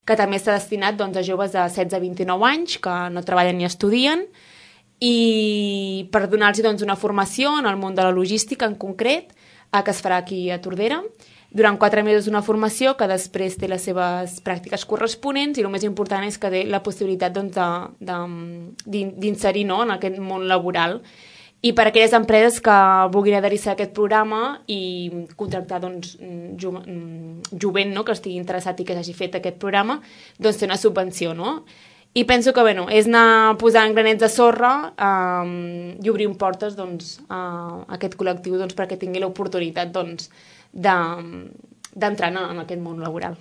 que també està destinat doncs, a joves de 16 a 29 anys que no treballen ni estudien, i per donar-los doncs, una formació en el món de la logística en concret, que es farà aquí a Tordera, durant 4 mesos una formació que després té les seves pràctiques corresponents, i el més important és que té la possibilitat doncs, d'inserir, no?, en aquest món laboral. I per a aquelles empreses que vulguin adherir-se a aquest programa i contractar doncs, jovent, no?, que estigui interessat i que s'hagi fet aquest programa, doncs té una subvenció, no? I penso que és anar posant granets de sorra i obrir portes doncs, a aquest col·lectiu doncs, perquè tingui l'oportunitat doncs, d'entrar en aquest món laboral.